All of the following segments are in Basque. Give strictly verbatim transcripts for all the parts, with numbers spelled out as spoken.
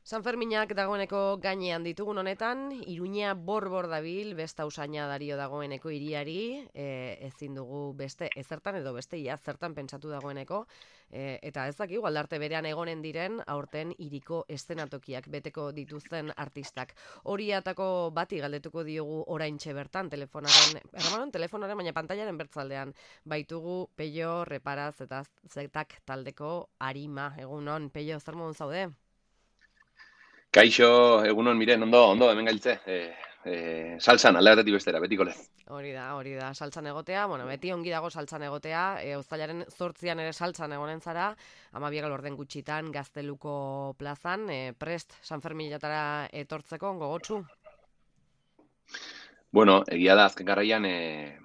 Sanferminak dagoeneko gainean ditugun honetan, Iruña bor-bor dabil, besta usaina dario dagoeneko hiriari, e, ezin dugu beste ezertan edo beste ia zertan pentsatu dagoeneko, e, eta ez dakigu aldarte berean egonen diren aurten hiriko eszenatokiak beteko dituzten artistak. Horiatako bati galdetuko diogu oraintxe bertan, telefonaren, erramanon telefonaren, baina pantailaren bertzaldean, baitugu Peio Reparaz eta Zetak taldeko Arima, egunon, Peio, zer modun zaude? Kaixo, egunon, miren, ondo, ondo, hemen gailtze. E, e, salsan, alde batetik bestera, betiko lez. Hori da, hori da, saltzan egotea, bueno, beti ongi dago saltzan egotea, e, uztailaren zortzian ere saltzan egonen zara, amabiak orden gutxitan, Gazteluko plazan, e, prest, San Ferminatara etortzeko, gogotsu? Bueno, egia da, azken garraian, e,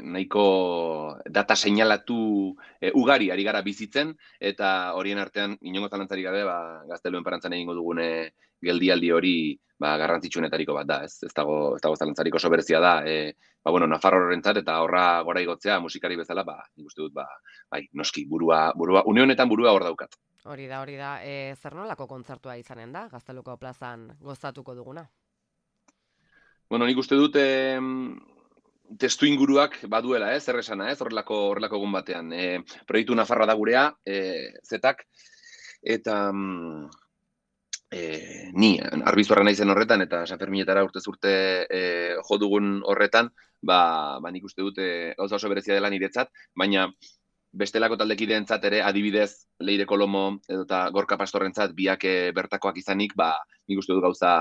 nahiko data seinalatu e, ugari ari gara bizitzen, eta horien artean, inongo zalantzarik gabe, ba, Gazteluen parantzan egingo dugune geldialdi hori ba, garrantzitsuenetariko bat da, ez? Ez dago, ez dago zalantzarik oso berezia da, e, ba, bueno, Nafarrorentzat eta horra gora igotzea musikari bezala, ba, nik uste dut, ba, bai, noski, burua, burua, une honetan burua hor daukat. Hori da, hori da, e, zer nolako kontzertua izanen da, Gazteluko plazan gozatuko duguna? Bueno, nik uste dut eh, testu inguruak baduela, ez, zer esana, ez, horrelako, horrelako egun batean. E, proiektu Nafarroa da gurea, e, zetak, eta mm, e, ni, arbizorra naizen horretan, eta San Ferminetara urtez urte e, jo dugun horretan, ba, ba nik uste dut e, gauza oso berezia dela niretzat, baina bestelako taldekideentzat ere, adibidez, Leire Kolomo edota Gorka Pastorrentzat biak e, bertakoak izanik, ba, nik uste dut gauza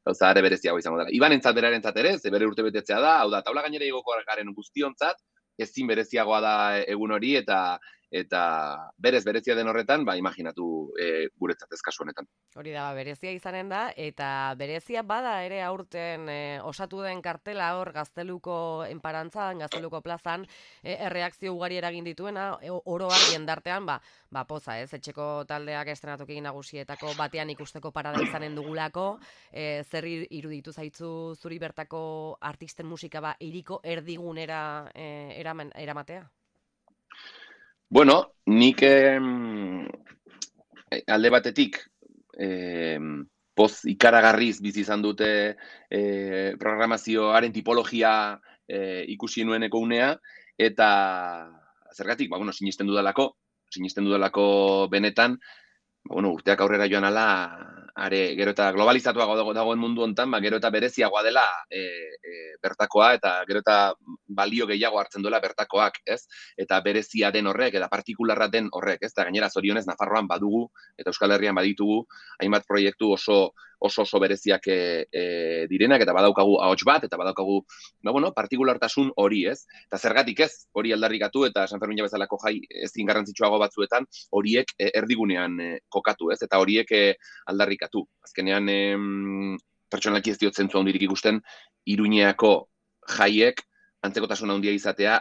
gauza are bereziago izango dela. Ibanentzat berarentzat ere, ze bere urte betetzea da, hau da, taula gainera igoko garen guztiontzat, ezin bereziagoa da egun hori, eta eta berez berezia den horretan, ba, imaginatu e, guretzat ez kasu honetan. Hori da, berezia izanen da, eta berezia bada ere aurten e, osatu den kartela hor Gazteluko enparantzan, Gazteluko plazan, e, erreakzio ugari eragin dituena, e, oro har jendartean, ba, ba poza, ez, etxeko taldeak estrenatoki nagusietako batean ikusteko parada izanen dugulako, e, zer iruditu zaitzu zuri bertako artisten musika ba, iriko erdigunera e, eraman, eramatea? Bueno, nik eh, alde batetik eh, poz ikaragarriz bizi izan dute eh, programazioaren tipologia eh, ikusi nueneko unea, eta zergatik, ba, bueno, sinisten dudalako, sinisten dudalako benetan, ba, bueno, urteak aurrera joan ala, are, gero eta globalizatuago dago, dagoen mundu hontan, ba, gero eta bereziagoa dela e, e, bertakoa, eta gero eta balio gehiago hartzen duela bertakoak, ez? Eta berezia den horrek, eta partikularra den horrek, ez? Eta gainera zorionez Nafarroan badugu, eta Euskal Herrian baditugu, hainbat proiektu oso oso oso bereziak e, e, direnak, eta badaukagu ahots bat, eta badaukagu, ba, bueno, partikulartasun hori, ez? Eta zergatik ez, hori aldarrikatu, eta San Fermin bezalako jai ezin garrantzitsuago batzuetan, horiek e, erdigunean e, kokatu, ez? Eta horiek e, aldarrikatu. Azkenean, e, pertsonalki ez diot zentzu handirik ikusten, Iruñeako jaiek antzekotasun handia izatea,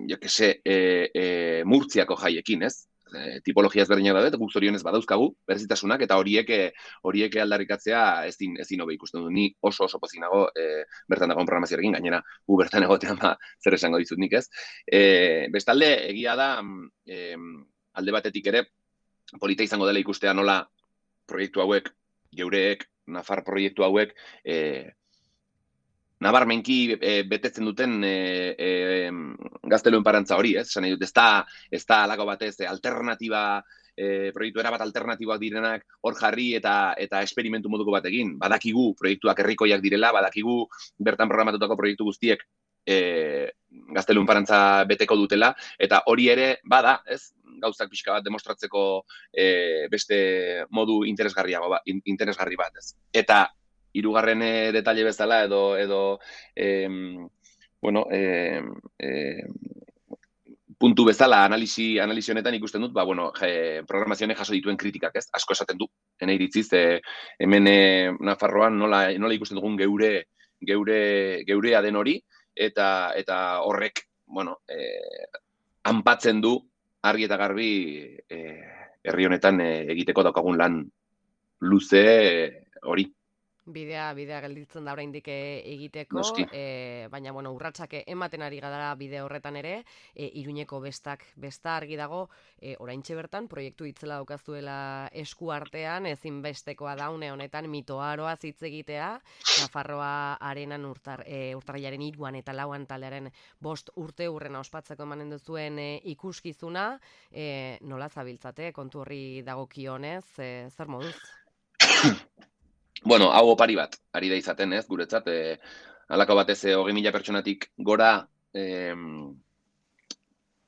jo que se, e, e, Murtziako jaiekin, ez? E, tipologia ezberdinak daude, guk zorionez badauzkagu, berezitasunak, eta horiek horiek aldarrikatzea ezin ezin hobe ikusten du. Ni oso oso pozik nago e, bertan dagoen programazioarekin, gainera gu bertan egotean ba, zer esango dizut nik, ez? E, bestalde, egia da, e, alde batetik ere, polita izango dela ikustea nola proiektu hauek, geureek, Nafar proiektu hauek, e, nabarmenki e, betetzen duten e, e, Gazteluen parantza hori, ez? Esan dut, ez da, ez da alako batez alternatiba, e, proiektu erabat alternatiboak direnak hor jarri eta eta esperimentu moduko bat egin. Badakigu proiektuak herrikoiak direla, badakigu bertan programatutako proiektu guztiek e, Gazteluen parantza beteko dutela, eta hori ere bada, ez? Gauzak pixka bat demostratzeko e, beste modu interesgarriago ba, interesgarri bat, ez? Eta hirugarren e, detalle bezala edo edo em, bueno, eh, eh, puntu bezala analisi analisi honetan ikusten dut, ba bueno, je, programazionek jaso dituen kritikak, ez? Asko esaten du. Ene iritziz, e, hemen e, Nafarroan nola nola ikusten dugun geure geure geurea den hori, eta eta horrek, bueno, eh, anpatzen du argi eta garbi eh, herri honetan e, egiteko daukagun lan luze e, hori. Bidea, bidea gelditzen da oraindik egiteko, Noski. e, baina bueno, urratsak ematen ari gara bide horretan ere, e, Iruñeko bestak, besta argi dago, e, oraintxe bertan proiektu itzela daukazuela esku artean, ezinbestekoa da une honetan mitoaroaz hitz egitea, Nafarroa arenan urtar, e, urtarrilaren hiruan eta lauan taldearen bost urte urrena ospatzeko emanen duzuen e, ikuskizuna, e, nola zabiltzate kontu horri dagokionez, e, zer moduz? Bueno, hau opari bat, ari da izaten, ez, guretzat, e, halako batez e, hogei mila pertsonatik gora e,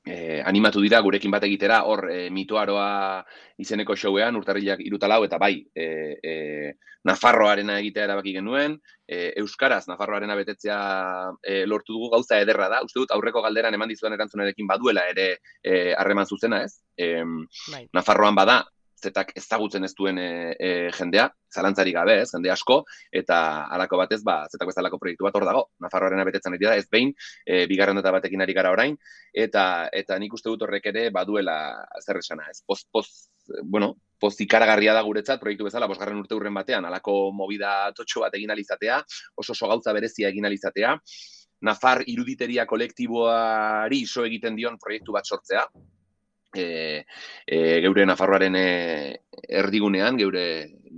e, animatu dira gurekin bat egitera, hor e, mitoaroa izeneko showean, urtarrilak irutalau, eta bai, e, e, Nafarroarena egitea erabaki genuen, e, Euskaraz Nafarroarena betetzea e, lortu dugu gauza ederra da, uste dut aurreko galderan eman dizudan erantzunarekin baduela ere harreman e, zuzena, ez? E, bai. Nafarroan bada, zetak ezagutzen ez duen e, e, jendea, zalantzarik gabe, ez, jende asko, eta halako batez, ba, zetak bezalako proiektu bat hor dago. Nafarroarena betetzen ari da, ez behin, e, bigarren data batekin ari gara orain, eta eta nik uste dut horrek ere baduela zer esana, ez. Poz, poz, bueno, poz ikaragarria da guretzat, proiektu bezala, bosgarren urte urren batean, halako movida totxo bat egin alizatea, oso oso gauza berezia egin alizatea, Nafar iruditeria kolektiboari iso egiten dion proiektu bat sortzea, E, e, geure Nafarroaren e, erdigunean, geure,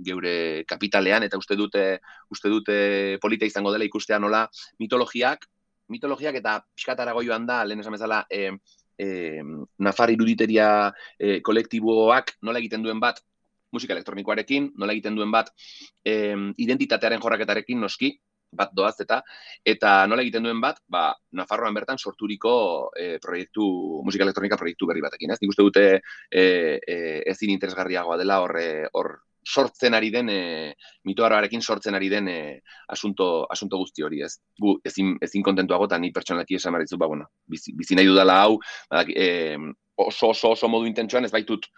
geure kapitalean, eta uste dute, uste dute polita izango dela ikustea nola mitologiak, mitologiak eta pixkatarago joan da, lehen esan bezala, e, e, Nafar iruditeria e, kolektiboak nola egiten duen bat musika elektronikoarekin, nola egiten duen bat e, identitatearen jorraketarekin noski, bat doaz eta, eta nola egiten duen bat, ba, Nafarroan bertan sorturiko e, proiektu, musika elektronika proiektu berri batekin, ez? Nik uste dute e, e, ezin interesgarriagoa dela hor, hor sortzen ari den, e, mitoaroarekin sortzen ari den e, asunto, asunto guzti hori, ez? Gu ezin, ezin kontentuago, eta ni pertsonalki esan barritzu, ba, bueno, bizi, bizi nahi dudala hau, ba, e, oso, oso, oso modu intentsuan ez baitut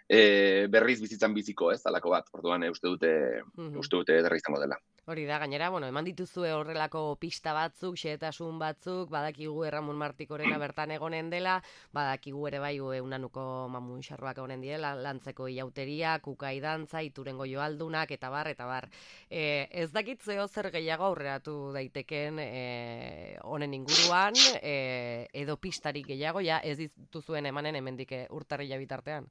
e, berriz bizitzan biziko, ez? Alako bat, orduan e, uste dute, mm-hmm. uste dute derra izango dela. Hori da, gainera, bueno, eman dituzue horrelako pista batzuk, xehetasun batzuk, badakigu Erramun Martikorena bertan egonen dela, badakigu ere bai unanuko mamun xarroak egonen diela, lantzeko iauteria, kukai dantza, iturengo joaldunak, eta bar, eta bar. E, ez dakit zeo zer gehiago aurreratu daiteken honen e, inguruan, e, edo pistarik gehiago, ja ez dituzuen emanen hemendik urtarrila bitartean.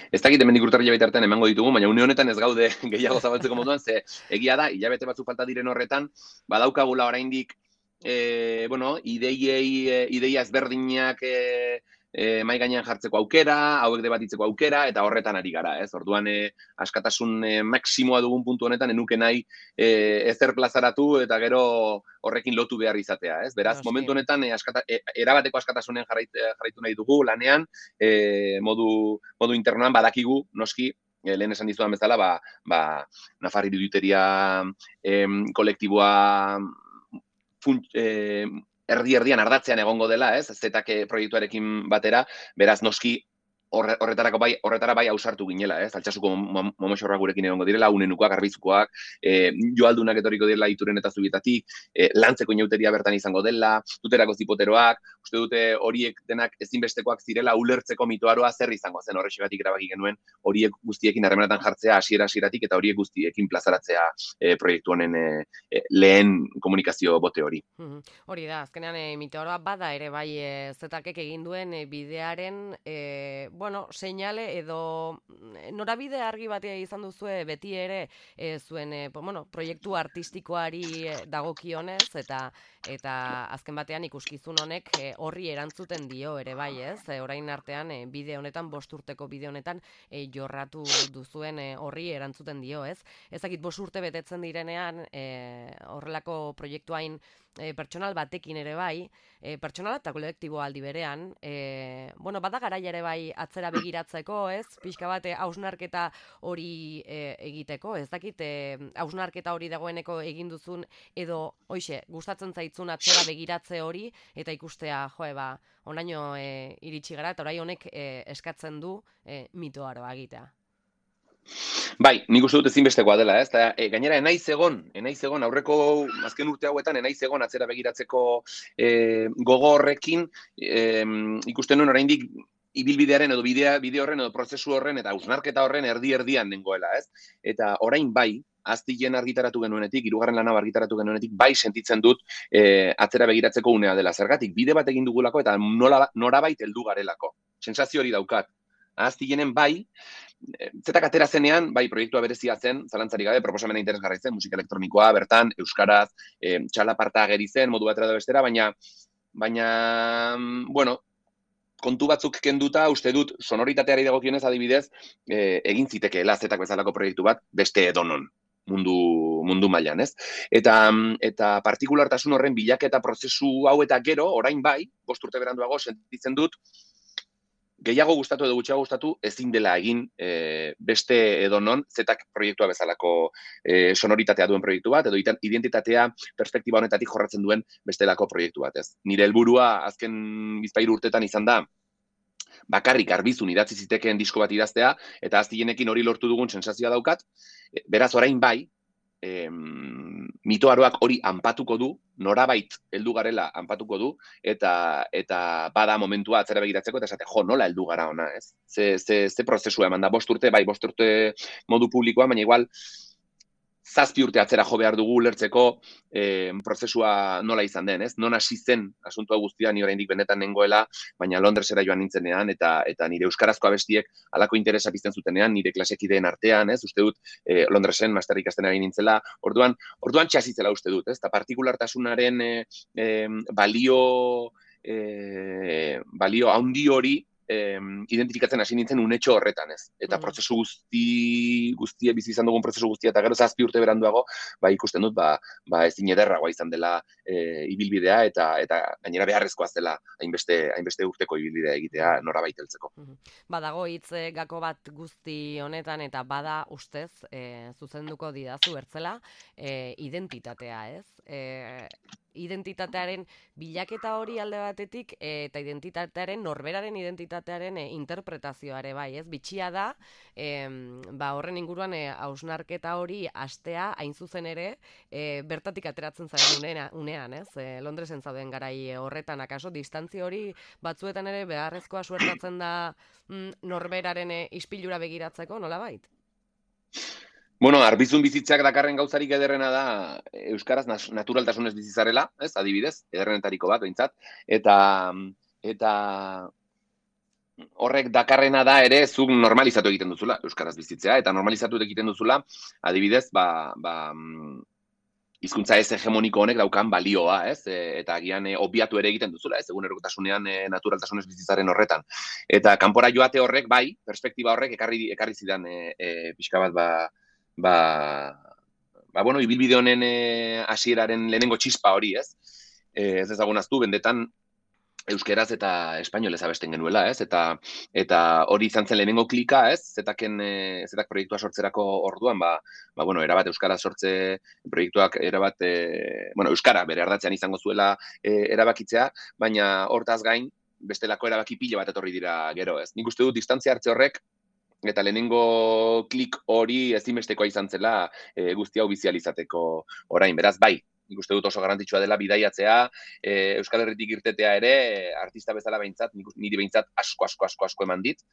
Ez dakit hemendik urtarrila bitartean emango ditugu, baina une honetan ez gaude gehiago zabaltzeko moduan, ze egia da, hilabete batzuk falta diren horretan, badaukagula oraindik, e, bueno, ideiei, e, ideia ezberdinak e, e, mai gainean jartzeko aukera, hauek debatitzeko aukera, eta horretan ari gara, ez? Orduan, e, askatasun e, maksimoa dugun puntu honetan, enuke nahi e, ezer plazaratu, eta gero horrekin lotu behar izatea, ez? Beraz, no, momentu honetan, e, askata, e, erabateko askatasunen jarrait, jarraitu nahi dugu, lanean, e, modu, modu internoan badakigu, noski, e, lehen esan dizudan bezala, ba, ba, Nafar iruditeria e, kolektiboa funt, e, erdi-erdian ardatzean egongo dela, ez? Zetak proiektuarekin batera, beraz, noski, horretarako bai, horretara bai ausartu ginela, ez? Altsasuko momoxorrak gurekin egongo direla, unenukoak, garbizukoak, e, joaldunak etorriko direla ituren eta zubietatik, e, lantzeko inauteria bertan izango dela, duterako zipoteroak, uste dute horiek denak ezinbestekoak zirela ulertzeko mitoaroa zer izango zen, horrexegatik erabaki genuen horiek guztiekin harremanetan jartzea hasiera hasieratik eta horiek guztiekin plazaratzea e, proiektu honen e, e, lehen komunikazio bote hori. Mm-hmm. Hori da, azkenean e, mitoaroa bada ere bai e, zetakek egin duen e, bidearen e, bueno, seinale edo norabide argi batea izan duzue beti ere e, zuen e, bueno, proiektu artistikoari dagokionez eta eta azken batean ikuskizun honek e, horri erantzuten dio ere bai, ez? E, orain artean e, bide honetan, bost urteko bide honetan e, jorratu duzuen e, horri erantzuten dio, ez? Ezakit bost urte betetzen direnean e, horrelako proiektuain e, pertsonal batekin ere bai, e, pertsonal eta kolektibo aldi berean, e, bueno, bada garaia ere bai atzera begiratzeko, ez? Pixka bat hausnarketa hori e, egiteko, ez dakit hausnarketa hori dagoeneko egin duzun edo hoixe, gustatzen zaitzun atzera begiratze hori eta ikustea, joe, ba, onaino e, iritsi gara eta orai honek e, eskatzen du e, mitoaroa egitea. Bai, nik uste dut ezinbestekoa dela, ez? Ta, e, gainera, enaiz egon, enaiz egon, aurreko azken urte hauetan, enaiz egon atzera begiratzeko e, gogo horrekin, e, ikusten nuen oraindik ibilbidearen edo bidea, bide horren edo prozesu horren eta hausnarketa horren erdi-erdian nengoela, ez? Eta orain bai, aztilen argitaratu genuenetik, hirugarren lana argitaratu genuenetik, bai sentitzen dut e, atzera begiratzeko unea dela. Zergatik, bide bat egin dugulako eta nola, norabait heldu garelako. Sentsazio hori daukat. Aztilenen bai, zetak atera zenean, bai, proiektua berezia zen, zalantzarik gabe, proposamena interesgarri zen, musika elektronikoa, bertan, euskaraz, e, txalaparta ageri zen, modu batera da bestera, baina, baina, bueno, kontu batzuk kenduta, uste dut, sonoritateari dagokionez adibidez, e, egin zitekeela zetak bezalako proiektu bat, beste edonon, mundu, mundu mailan, ez? Eta, eta partikulartasun horren bilaketa prozesu hau eta gero, orain bai, bost urte beranduago, sentitzen dut, gehiago gustatu edo gutxiago gustatu ezin dela egin e, beste edonon zetak proiektua bezalako e, sonoritatea duen proiektu bat, edo identitatea perspektiba honetatik jorratzen duen bestelako proiektu bat, ez? Nire helburua azken bizpahiru urtetan izan da, bakarrik arbizun idatzi zitekeen disko bat idaztea, eta aztilenekin hori lortu dugun sensazioa daukat, beraz orain bai, em, mitoaroak hori anpatuko du, norabait heldu garela anpatuko du, eta eta bada momentua atzera begiratzeko, eta esate, jo, nola heldu gara ona, ez? Ze, ze, ze prozesua eman da, bost urte, bai, bost urte modu publikoa, baina igual, zazpi urte atzera jo behar dugu ulertzeko eh, prozesua nola izan den, ez? Non hasi zen asuntua guztia ni oraindik benetan nengoela, baina Londresera joan nintzenean, eta eta nire euskarazko abestiek halako interesa pizten zutenean, nire klasekideen artean, ez? Uste dut eh, Londresen master ikasten ari nintzela, orduan, orduan txasitzela uste dut, ez? Eta partikulartasunaren eh, eh, balio, eh, balio handi hori, Eh, identifikatzen hasi nintzen unetxo horretan, ez? Eta mm. prozesu guzti, guztie bizi izan dugun prozesu guztia, eta gero zazpi urte beranduago, ba, ikusten dut, ba, ba ezin ederragoa izan dela e, ibilbidea, eta eta gainera beharrezkoa zela hainbeste, hainbeste urteko ibilbidea egitea norabait heltzeko. Badago hitz gako bat guzti honetan, eta bada ustez, e, zuzenduko didazu bertzela, e, identitatea, ez? E, identitatearen bilaketa hori alde batetik, e, eta identitatearen, norberaren identitatearen e, interpretazioare bai, ez? Bitxia da, e, ba, horren inguruan e, hausnarketa hori astea, hain zuzen ere, e, bertatik ateratzen zaren unea, unean, ez? E, Londresen zauden garai horretan, akaso, distantzia hori batzuetan ere beharrezkoa suertatzen da mm, norberaren e, ispilura begiratzeko, nola bait? Bueno, arbizun bizitzak dakarren gauzarik ederrena da euskaraz naturaltasunez bizizarela, ez, adibidez, ederrenetariko bat, behintzat, eta, eta horrek dakarrena da ere zuk normalizatu egiten duzula euskaraz bizitzea, eta normalizatu egiten duzula, adibidez, ba, ba, hizkuntza ez hegemoniko honek daukan balioa, ez, e, eta agian e, obiatu ere egiten duzula, ez, egunerokotasunean e, naturaltasunez bizitzaren horretan. Eta kanpora joate horrek, bai, perspektiba horrek ekarri, ekarri zidan e, e, pixka bat, ba, ba, ba, bueno, ibilbide honen hasieraren e, lehenengo txispa hori, ez? E, ez ezagun aztu, bendetan euskeraz eta espainolez abesten genuela, ez? Eta eta hori izan zen lehenengo klika, ez? Zetaken e, zetak proiektua sortzerako orduan, ba, ba bueno, erabat euskara sortze proiektuak erabat e, bueno, euskara bere ardatzean izango zuela e, erabakitzea, baina hortaz gain bestelako erabaki pila bat etorri dira gero, ez? Nik uste dut distantzia hartze horrek eta lehenengo klik hori ezinbestekoa izan zela e, guzti hau bizializateko orain. Beraz, bai, nik uste dut oso garrantzitsua dela bidaiatzea, e, Euskal Herritik irtetea ere, artista bezala behintzat, niri behintzat asko, asko, asko, asko eman dit.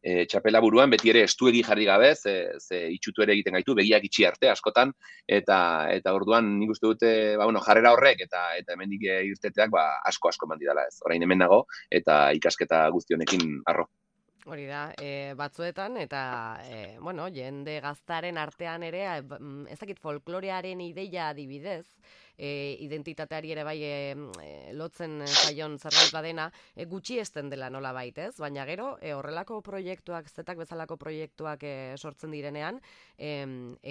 E, txapela buruan, beti ere estuegi jarri gabe, ze, ze itxutu ere egiten gaitu, begiak itxi arte askotan, eta eta orduan nik uste dute, ba, bueno, jarrera horrek, eta eta hemendik irteteak ba, asko, asko eman didala ez. Orain hemen nago, eta ikasketa guzti honekin harro. Hori da, e, batzuetan, eta, e, bueno, jende gaztaren artean ere, ez dakit folklorearen ideia adibidez, e, identitateari ere bai e, lotzen zaion zerbait badena, e, gutxi esten dela nola baitez, baina gero, e, horrelako proiektuak, zetak bezalako proiektuak e, sortzen direnean, e,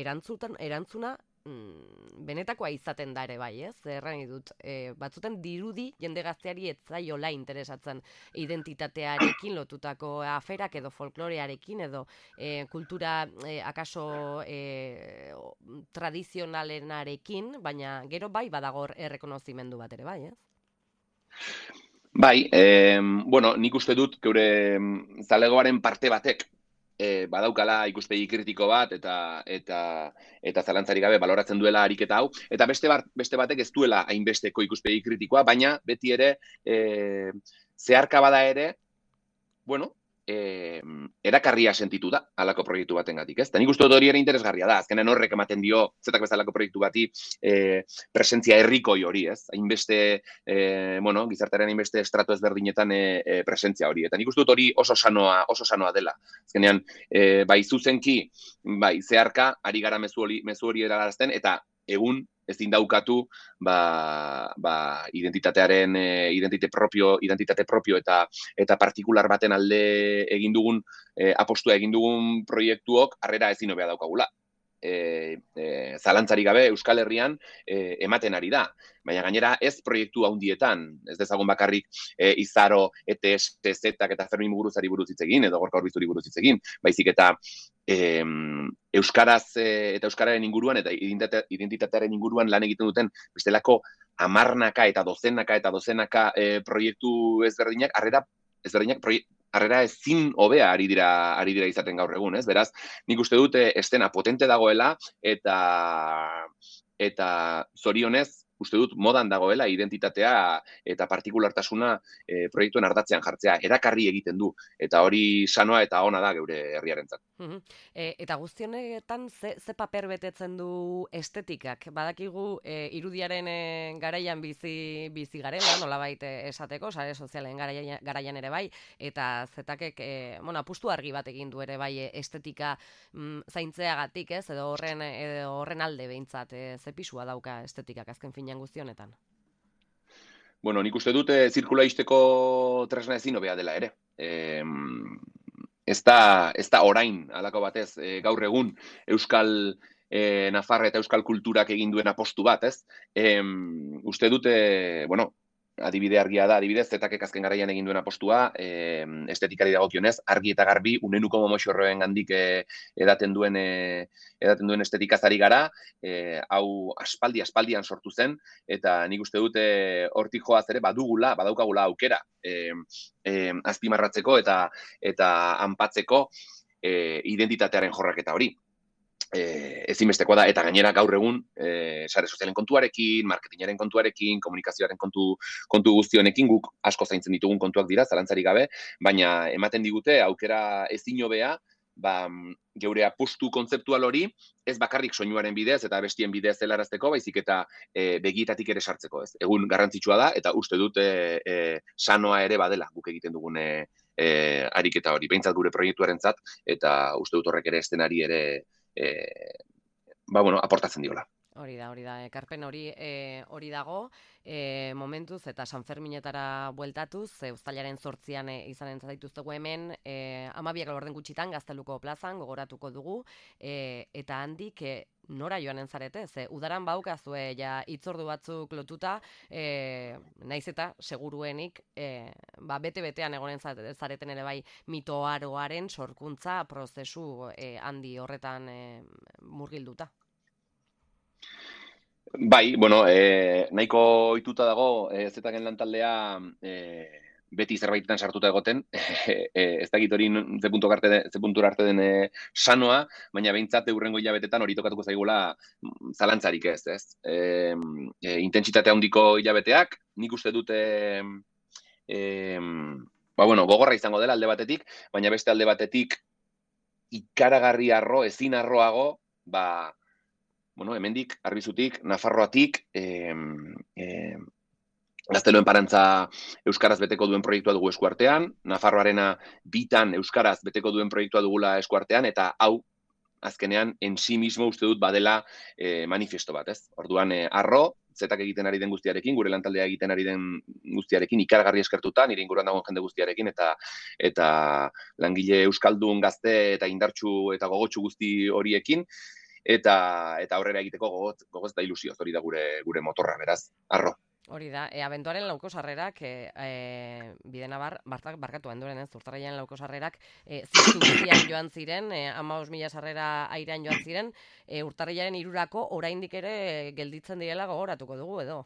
erantzutan, erantzuna, benetakoa izaten da ere bai, ez? Erran dut, e, batzuten dirudi jende gazteari ez zaiola interesatzen identitatearekin lotutako aferak edo folklorearekin edo e, kultura e, akaso e, tradizionalenarekin, baina gero bai badagor errekonozimendu bat ere bai, ez? Bai, eh, bueno, nik uste dut geure zalegoaren parte batek E, badaukala ikuspegi kritiko bat eta eta eta zalantzarik gabe baloratzen duela ariketa hau, eta beste bat, beste batek ez duela hainbesteko ikuspegi kritikoa, baina beti ere e, zeharka bada ere, bueno, eh, erakarria sentitu da alako proiektu batengatik, ez? Eta nik uste dut hori ere interesgarria da, azkenean horrek ematen dio zetak bezalako proiektu bati eh, presentzia herrikoi hori, ez? Hainbeste, eh, bueno, gizartearen hainbeste estratu ezberdinetan eh, presentzia hori. Eta nik uste dut hori oso sanoa, oso sanoa dela. Azkenean, eh, bai zuzenki, bai zeharka, ari gara mezu hori, mezu hori eralarazten, eta egun ezin daukatu ba, ba, identitatearen e, identitate propio, identitate propio eta eta partikular baten alde egin dugun e, apostua egin dugun proiektuok harrera ezin hobea daukagula. E, e, zalantzari gabe Euskal Herrian e, ematen ari da. Baina gainera ez proiektu handietan, ez dezagun bakarrik e, Izaro, E T S, Zetak eta Fermin Muguruzari buruz hitz egin, edo Gorka Urbizuri buruz hitz egin, baizik eta e, Euskaraz e, eta Euskararen inguruan eta identitatearen inguruan lan egiten duten bestelako hamarnaka eta dozenaka eta dozenaka e, proiektu ezberdinak, harrera ezberdinak proiektu harrera ezin hobea ari dira ari dira izaten gaur egun, ez? Beraz, nik uste dute estena potente dagoela eta eta zorionez uste dut modan dagoela identitatea eta partikulartasuna e, proiektuen ardatzean jartzea, erakarri egiten du, eta hori sanoa eta ona da geure herriarentzat. Uh-huh. E, eta guztionetan ze, ze paper betetzen du estetikak? Badakigu e, irudiaren e, garaian bizi, bizi garela, nolabait esateko, sare sozialen garaian, garaian ere bai, eta zetakek, e, bueno, apustu argi bat egin du ere bai estetika mm, zaintzeagatik, ez, edo horren, edo horren alde behintzat, e, ze pisua dauka estetikak azken finean guztionetan? Bueno, nik uste dute zirkula izteko tresna ezin hobea dela ere. E, ez da, ez da orain, halako batez, e, gaur egun Euskal e, Nafarra eta Euskal kulturak egin duen apostu bat, ez? E, uste dute, bueno, adibide argia da, adibidez, zetakek azken garaian egin duen apostua, e, estetikari dagokionez, argi eta garbi, unenuko momoxorroen gandik e, edaten duen e, edaten duen estetikazari gara, e, hau aspaldi, aspaldian sortu zen, eta nik uste dute hortik joaz ere badugula, badaukagula aukera e, e, azpimarratzeko eta eta anpatzeko e, identitatearen jorraketa hori. E, ezinbestekoa da, eta gainera gaur egun e, sare sozialen kontuarekin, marketingaren kontuarekin, komunikazioaren kontu, kontu guztionekin guk asko zaintzen ditugun kontuak dira, zalantzari gabe, baina ematen digute aukera ezin hobea, ba, geure apustu kontzeptual hori, ez bakarrik soinuaren bidez eta bestien bidez helarazteko, baizik eta e, begietatik ere sartzeko, ez. Egun garrantzitsua da, eta uste dut e, e, sanoa ere badela guk egiten dugun e, e, ariketa hori, behintzat gure proiektuarentzat, eta uste dut horrek ere estenari ere E, ba, bueno, aportatzen diola. Hori da, hori da, ekarpen hori e, hori dago, e, momentuz eta San Ferminetara bueltatuz, e, uztailaren zortzian e, izanen zaituztegu hemen, e, amabiak laurden gutxitan Gazteluko plazan gogoratuko dugu, e, eta handik e, nora joanen zarete, ze udaran baukazue ja hitzordu batzuk lotuta, e, naiz eta seguruenik e, ba, bete-betean egonen zareten ere bai mitoaroaren sorkuntza prozesu e, handi horretan e, murgilduta. Bai, bueno, e, nahiko ohituta dago e, zetaken lantaldea e, beti zerbaitetan sartuta egoten, e, ez dakit hori ze puntura arte, ze puntura arte den e, sanoa, baina behintzat eurrengo hilabetetan hori tokatuko zaigula zalantzarik ez, ez? E, e, intentsitate handiko hilabeteak, nik uste dute e, ba, bueno, gogorra izango dela alde batetik, baina beste alde batetik ikaragarri arro, ezin arroago, ba, bueno, hemendik, Arbizutik, Nafarroatik, eh, eh, Gazteluen Parantza Euskaraz beteko duen proiektua dugu eskuartean, Nafarroarena bitan Euskaraz beteko duen proiektua dugula eskuartean, eta hau, azkenean, en sí mismo uste dut badela eh, manifiesto bat, ez? Orduan, eh, arro, zetak egiten ari den guztiarekin, gure lantaldea egiten ari den guztiarekin, ikaragarri eskertuta, nire inguruan dagoen jende guztiarekin, eta eta langile euskaldun gazte eta indartsu eta gogotsu guzti horiekin, eta eta aurrera egiteko gogoz, gogoz eta ilusioz hori da gure gure motorra, beraz, arro. Hori da, e, abenduaren lauko sarrerak, e, e, bidenabar, bartak, barkatu abenduaren ez, urtarraian lauko sarrerak, e, ziztu guztian joan ziren, e, amaus mila sarrera airean joan ziren, e, urtarriaren irurako oraindik ere gelditzen direla gogoratuko dugu, edo?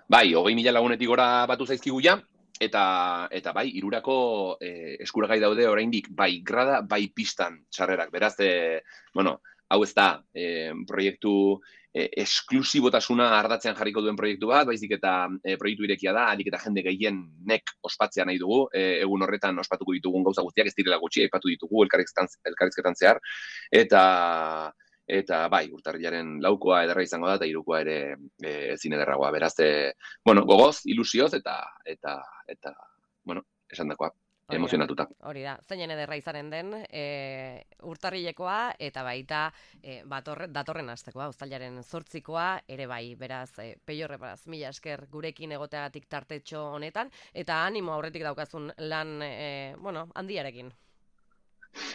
Bai, hogei mila lagunetik gora batu zaizkigu ja, eta eta bai, irurako e, eskuragai daude oraindik bai grada, bai pistan sarrerak, beraz, e, bueno, hau ez da e, proiektu e, esklusibotasuna ardatzean jarriko duen proiektu bat, baizik eta e, proiektu irekia da, alik eta jende gehienek ospatzea nahi dugu, e, egun horretan ospatuko ditugun gauza guztiak, ez direla gutxi, aipatu ditugu elkarrizketan, elkarrizketan zehar, eta eta bai, urtarrilaren laukoa ederra izango da, eta hirukoa ere e, ezin ederragoa, beraz, e, bueno, gogoz, ilusioz, eta, eta, eta, bueno, esan dakoa. Emozionatuta. Hori da, zeinen ederra izanen den e, urtarrilekoa eta baita e, batorre, datorren astekoa, uztailaren zortzikoa, ere bai, beraz, e, Peior beraz, mila esker gurekin egoteagatik tartetxo honetan, eta animo aurretik daukazun lan, e, bueno, handiarekin.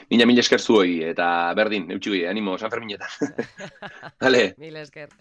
Mila mila esker zuoi, eta berdin, eutxigoi, animo, San Ferminetan. Vale. Mila esker.